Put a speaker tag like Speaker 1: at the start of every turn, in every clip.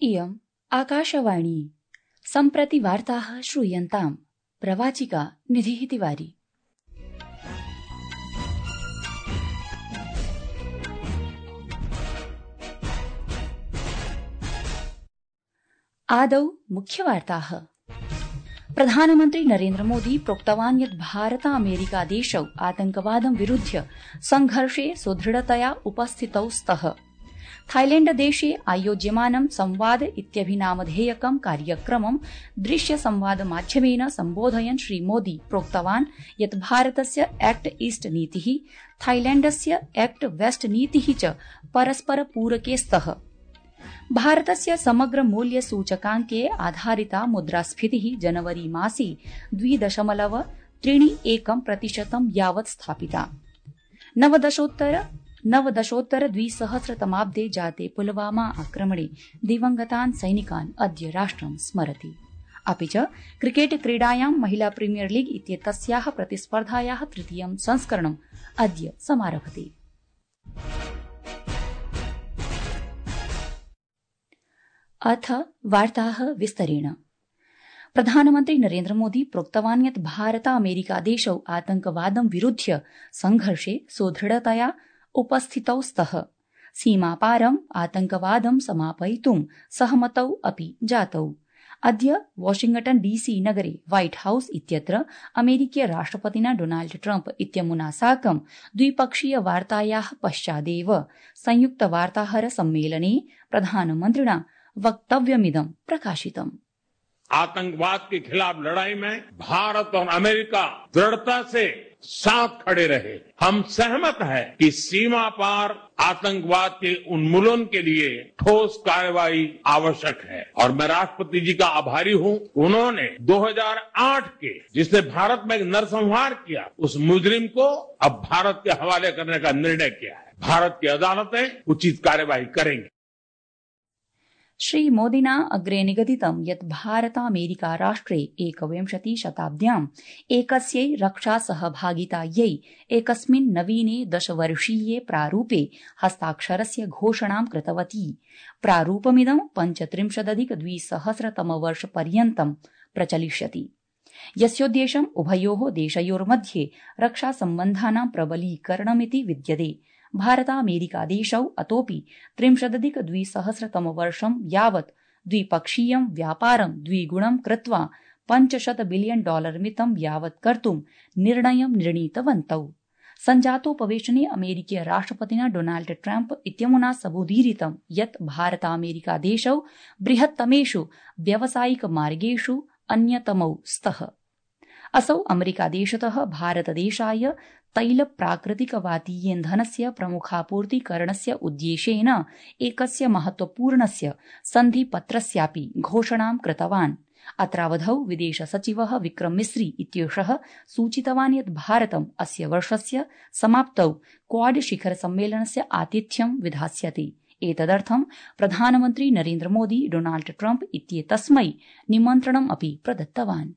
Speaker 1: इयम् आकाशवाणी। सम्प्रति वार्ताः श्रूयन्ताम्। प्रवाचिका निधिः तिवारी। आदौ मुख्यवार्ताः। प्रधानमन्त्री नरेन्द्र मोदी प्रोक्तवान् यत् भारत अमेरिका देशौ आतंकवादं विरुध्य संघर्षे सुदृढतया उपस्थितौ स्तः। थाईलैण्ड देशे आयोज्यमानं संवाद इत्यभिनामधेयकं कार्यक्रमं दृश्य संवाद माध्यमेन सम्बोधयन् श्रीमोदी प्रोक्तवान् यत् भारतस्य एक्ट ईस्ट नीतिः थाईलैण्डस्य एक्ट वेस्ट नीतिः च परस्पर पूरके स्तः। भारतस्य समग्र मूल्य सूचकाङ्के आधारिता मुद्रास्फीतिः जनवरी मासे 2.31% यावत् स्थापिता। नवदशोत्तर 2000 जाते पुलवामा आक्रमणे दिवंगतान् सैनिकान् अद्य राष्ट्रं स्मरति। अपि च क्रिकेट क्रीडायां महिला प्रीमियर लीग इत्येतस्याः प्रतिस्पर्धायाः तृतीयं संस्करणम् अद्य समारभते। अथ वार्ताः विस्तरेण। प्रधानमन्त्री नरेन्द्र मोदी प्रोक्तवान् यत् भारत अमेरिका देशौ आतंकवादं विरुध्य संघर्षे सुदृढतया उपस्थितौ स्तः। सीमापारम् आतंकवादं समापयितुं सहमतौ अपि जातौ। अद्य वाशिंग्टन डीसी नगरे व्हाइट हाउस इत्यत्र अमेरिकीय राष्ट्रपतिना डोनाल्ड ट्रम्प इत्यमुना साकं द्विपक्षीय वार्तायाः पश्चादेव संयुक्त वार्ताहर सम्मेलने प्रधानमन्त्रिणा वक्तव्यमिदं प्रकाशितम्।
Speaker 2: आतंकवाद के खिलाफ लड़ाई में भारत और अमेरिका दृढ़ता से साथ खड़े रहे। हम सहमत हैं कि सीमा पार आतंकवाद के उन्मूलन के लिए ठोस कार्रवाई आवश्यक है और मैं राष्ट्रपति जी का आभारी हूं। उन्होंने 2008 के जिसने भारत में नरसंहार किया उस मुजरिम को अब भारत के हवाले करने का निर्णय किया है। भारत की अदालतें उचित कार्यवाही करेंगी।
Speaker 1: श्रीमोदिना अग्रे निगदितं यत् भारत अमेरिका राष्ट्रे 21 शताब्द्याम् एकस्यै रक्षा सहभागितायै एकस्मिन् नवीने 10-वर्षीये प्रारूपे हस्ताक्षरस्य घोषणां कृतवती। प्रारूपमिदं 35-2000 प्रचलिष्यति, यस्योद्देश्यम् उभयोः देशयोर्मध्ये रक्षासम्बन्धानां प्रबलीकरणमिति विद्यते। भारत अमेरिका देशौ अतोऽपि 30-2000 यावत् द्विपक्षीयं व्यापारं द्विगुणं कृत्वा $500 बिलियन मितं यावत् कर्तुं निर्णयं निर्णीतवन्तौ। सञ्जातोपवेशने अमेरिकीय राष्ट्रपतिना डोनाल्ड ट्रम्प इत्यमुना सबूदीरितं यत् भारत अमेरिका देशौ बृहत्तमेषु व्यावसायिक मार्गेषु अन्यतमौ स्तः। असौ अमेरिकादेशतः भारतदेशाय तैल प्राकृतिकवातीयेन्धनस्य प्रमुखापूर्तिकरणस्य उद्देशेन एकस्य महत्वपूर्णस्य सन्धिपत्रस्यापि घोषणां कृतवान्। अत्रावधौ विदेश सचिवः विक्रम मिस्री इत्येषः सूचितवान् यत् भारतम् अस्य वर्षस्य समाप्तौ क्वाड शिखर सम्मेलनस्य आतिथ्यं विधास्यति। एतदर्थं प्रधानमन्त्री नरेन्द्र मोदी डोनाल्ड ट्रम्प इत्येतस्मै निमन्त्रणम् अपि प्रदत्तवान्।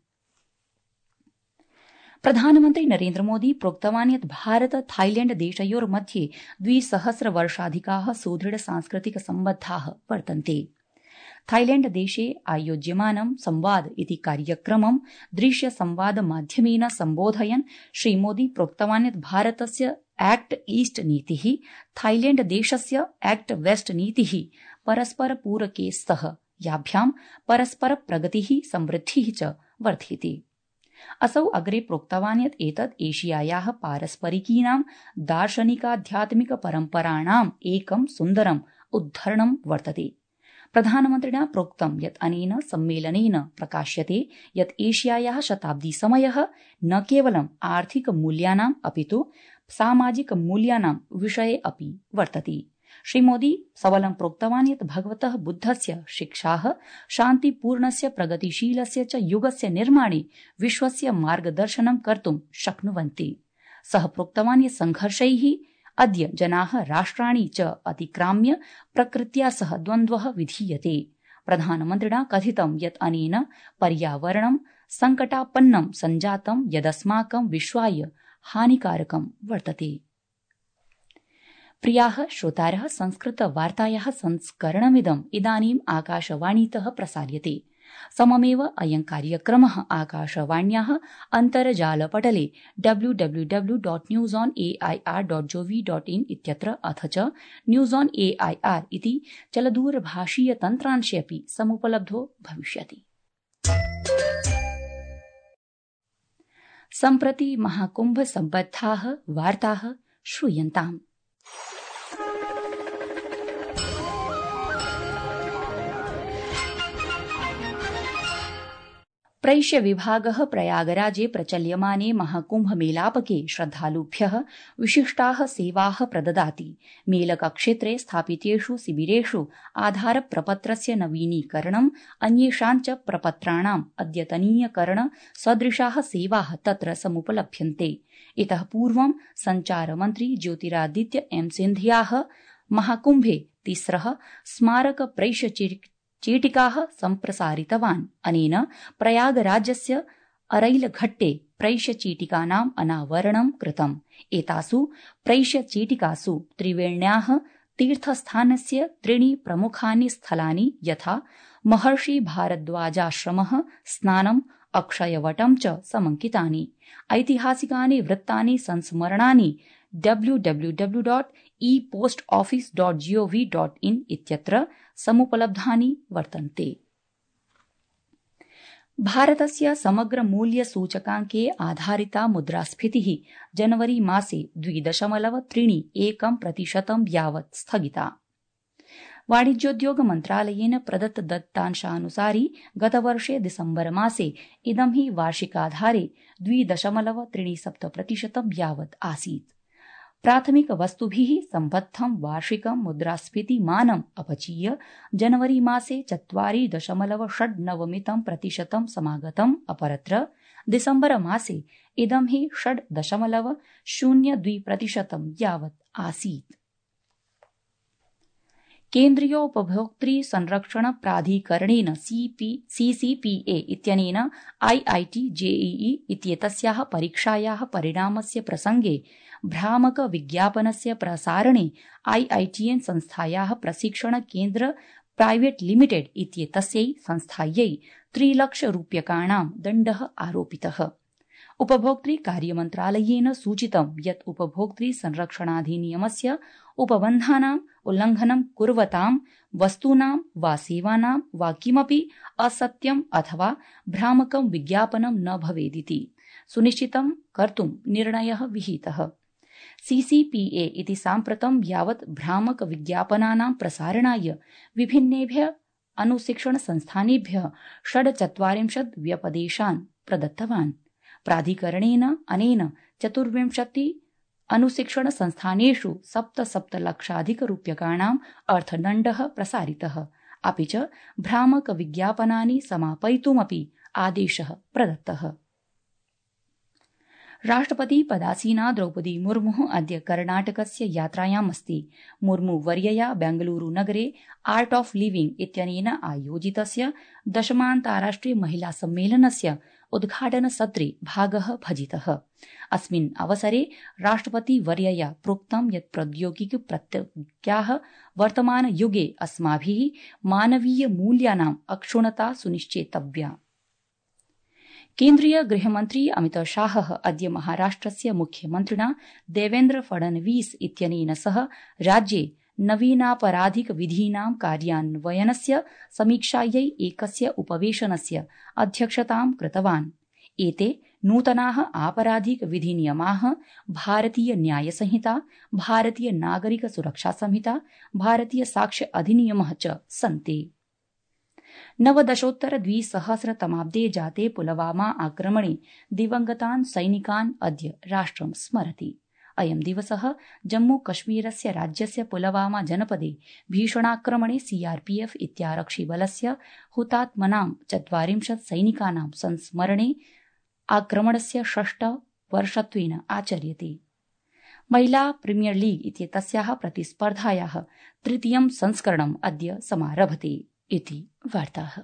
Speaker 1: प्रधानमन्त्री नरेन्द्र मोदी प्रोक्तवान् यत् भारत थाईलैण्ड देशयोर्मध्ये 200 वर्षाधिकाः सुदृढ सांस्कृतिक सम्बद्धाः वर्तन्ते। थाईलैण्ड देशे आयोज्यमानं संवाद इति कार्यक्रमं दृश्य संवाद माध्यमेन सम्बोधयन् श्रीमोदी प्रोक्तवान् यत् भारतस्य एक्ट ईस्ट नीतिः थाईलैण्ड देशस्य एक्ट वेस्ट नीतिः परस्पर पूरके स्तः, याभ्यां परस्पर प्रगतिः समृद्धिः च वर्ध्यते। असौ अग्रे प्रोक्तवान् यत् एतत् एशियायाः पारस्परिकीनां दार्शनिकाध्यात्मिक परम्पराणाम् एकं सुन्दरम् उद्धरणं वर्तते। प्रधानमन्त्रिणा प्रोक्तं यत् अनेन सम्मेलनेन प्रकाश्यते यत् एशियायाः शताब्दी समयः न केवलम् आर्थिक मूल्यानाम् अपितु सामाजिक मूल्यानां विषये अपि वर्तते। श्रीमोदी सबलं प्रोक्तवान् यत् भगवतः बुद्धस्य शिक्षाः शान्तिपूर्णस्य प्रगतिशीलस्य च युगस्य निर्माणे विश्वस्य मार्गदर्शनं कर्तुं शक्नुवन्ति। सः प्रोक्तवान् यत् संघर्षैः अद्य जनाः राष्ट्राणि च अतिक्राम्य प्रकृत्या सह द्वन्द्वः विधीयते। प्रधानमन्त्रिणा कथितं यत् अनेन पर्यावरणं संकटापन्नं सञ्जातं यदस्माकं विश्वाय हानिकारकं वर्तते। प्रियाः श्रोतारः, संस्कृतवार्तायाः संस्करणमिदम् इदानीम् आकाशवाणीतः प्रसार्यते। सममेव अयं कार्यक्रमः आकाशवाण्याः अन्तर्जालपटले www.newsonair.gov.in इत्यत्र अथ च न्यूज ऑन एआईआर इति चलदूरभाषीय तन्त्रांशे अपि समुपलब्धो भविष्यति। सम्प्रति महाकुम्भ सम्बद्धाः वार्ताः श्रूयन्ताम्। प्रैष्य विभागः प्रयागराजे प्रचल्यमाने महाकुम्भमेलापके श्रद्धालुभ्यः विशिष्टाः सेवाः प्रददाति। मेलकक्षेत्रे स्थापितेषु शिबिरेषु आधारप्रपत्रस्य नवीनीकरणम्, अन्येषां च प्रपत्राणाम् अद्यतनीकरण सदृशाः सेवाः तत्र समुपलभ्यन्ते। इतः पूर्वं सञ्चारमन्त्री ज्योतिरादित्य एम् सिन्धियाः महाकुम्भे तिस्रः स्मारक प्रैष्य चीटिकाः सम्प्रसारितवान्। अनेन प्रयागराजस्य अरैलघट्टे प्रैष्यचीटिकानाम् अनावरणं कृतम्। एतासु प्रैष्यचीटिकासु त्रिवेण्याः तीर्थस्थानस्य त्रीणि प्रमुखानि स्थलानि यथा महर्षि भारद्वाजाश्रमः, स्नानम्, अक्षयवटं च समङ्कितानि। ऐतिहासिकानि वृत्तानि संस्मरणानि www.epostoffice.gov.in इत्यत्र समुपलब्धानि वर्तन्ते। भारतस्य समग्र मूल्य सूचकाङ्के आधारिता मुद्रास्फीतिः जनवरी मासे 2.31% यावत् स्थगिता। वाणिज्योद्योग मन्त्रालयेन प्रदत्त दत्तांशानुसारि गतवर्षे दिसम्बर मासे इदं हि वार्षिकाधारे 2.37% यावत् आसीत्। प्राथमिक वस्तुभिः सम्बद्धं वार्षिकं मुद्रास्फीतिमानम् अपचीय जनवरी मासे 4.69% समागतम्। अपरत्र दिसम्बर मासे इदं हि 6.02% यावत् आसीत्। केन्द्रीयोपभोक्तृ संरक्षण प्राधिकरणेन CCPA इत्यनेन IIT JEE इत्येतस्याः परीक्षायाः परिणामस्य प्रसंगे भ्रामक विज्ञापनस्य प्रसारणे IITN संस्थायाः प्रशिक्षण केन्द्र प्राइवेट लिमिटेड इत्येतस्यै संस्थायै 3 लक्षरूप्यकाणां दण्डः आरोपितः। उपभोक्तृ कार्यमन्त्रालयेन सूचितं यत् उपभोक्तृ संरक्षणाधिनियमस्य उपबन्धानाम् उल्लङ्घनं कुर्वतां वस्तूनां वा सेवानां वा किमपि असत्यम् अथवा भ्रामकं विज्ञापनं न भवेदिति सुनिश्चितं कर्तुं निर्णयः विहितः। CCPA इति साम्प्रतं यावत् भ्रामक विज्ञापनानां प्रसारणाय विभिन्नेभ्यः अनुशिक्षण संस्थानेभ्यः 46 व्यपदेशान् प्रदत्तवान्। प्राधिकरणेन अनेन 24 अनुशिक्षण संस्थानेषु 7 लक्षाधिकरूप्यकाणाम् अर्थदण्डः प्रसारितः। अपि च भ्रामक विज्ञापनानि समापयितुमपि आदेशः प्रदत्तः। राष्ट्रपति पदासीना द्रौपदी मुर्मुः अद्य कर्णाटकस्य यात्रायामस्ति। मुर्मुवर्यया बेंगलुरु नगरे आर्ट ऑफ लिविंग इत्यनेन आयोजितस्य 10ान्ताराष्ट्रिय महिला सम्मेलनस्य उद्घाटनसत्रे भागः भजितः। अस्मिन् अवसरे राष्ट्रपतिवर्यया प्रोक्तं यत् प्रौद्योगिकी प्रत्ययाः वर्तमानयुगे अस्माभिः मानवीय मूल्यानाम् अक्षुण्णता सुनिश्चेतव्या। केन्द्रीय गृहमन्त्री अमित शाहः अद्य महाराष्ट्रस्य मुख्यमन्त्रिणा देवेन्द्र फडणवीस इत्यनेन सह राज्ये नवीनापराधिक विधीनां कार्यान्वयनस्य समीक्षायै एकस्य उपवेशनस्य अध्यक्षतां कृतवान्। एते नूतनाः आपराधिक विधिनियमाः भारतीय न्याय संहिता, भारतीय नागरिक सुरक्षा संहिता, भारतीय साक्ष्य अधिनियमः च सन्ति। 19-2000 जाते पुलवामा आक्रमणे दिवंगतान् सैनिकान् अद्य राष्ट्रं स्मरति। अयं दिवसः जम्मूकश्मीरस्य राज्यस्य पुलवामा जनपदे भीषणाक्रमणे CRPF इत्यारक्षिबलस्य हुतात्मनां 40 सैनिकानां संस्मरणे आक्रमणस्य 6 वर्षत्वेन आचर्यते। महिला प्रीमियर लीग इत्येतस्याः प्रतिस्पर्धायाः 3. संस्करणम् अद्य समारभते इति वार्ताः।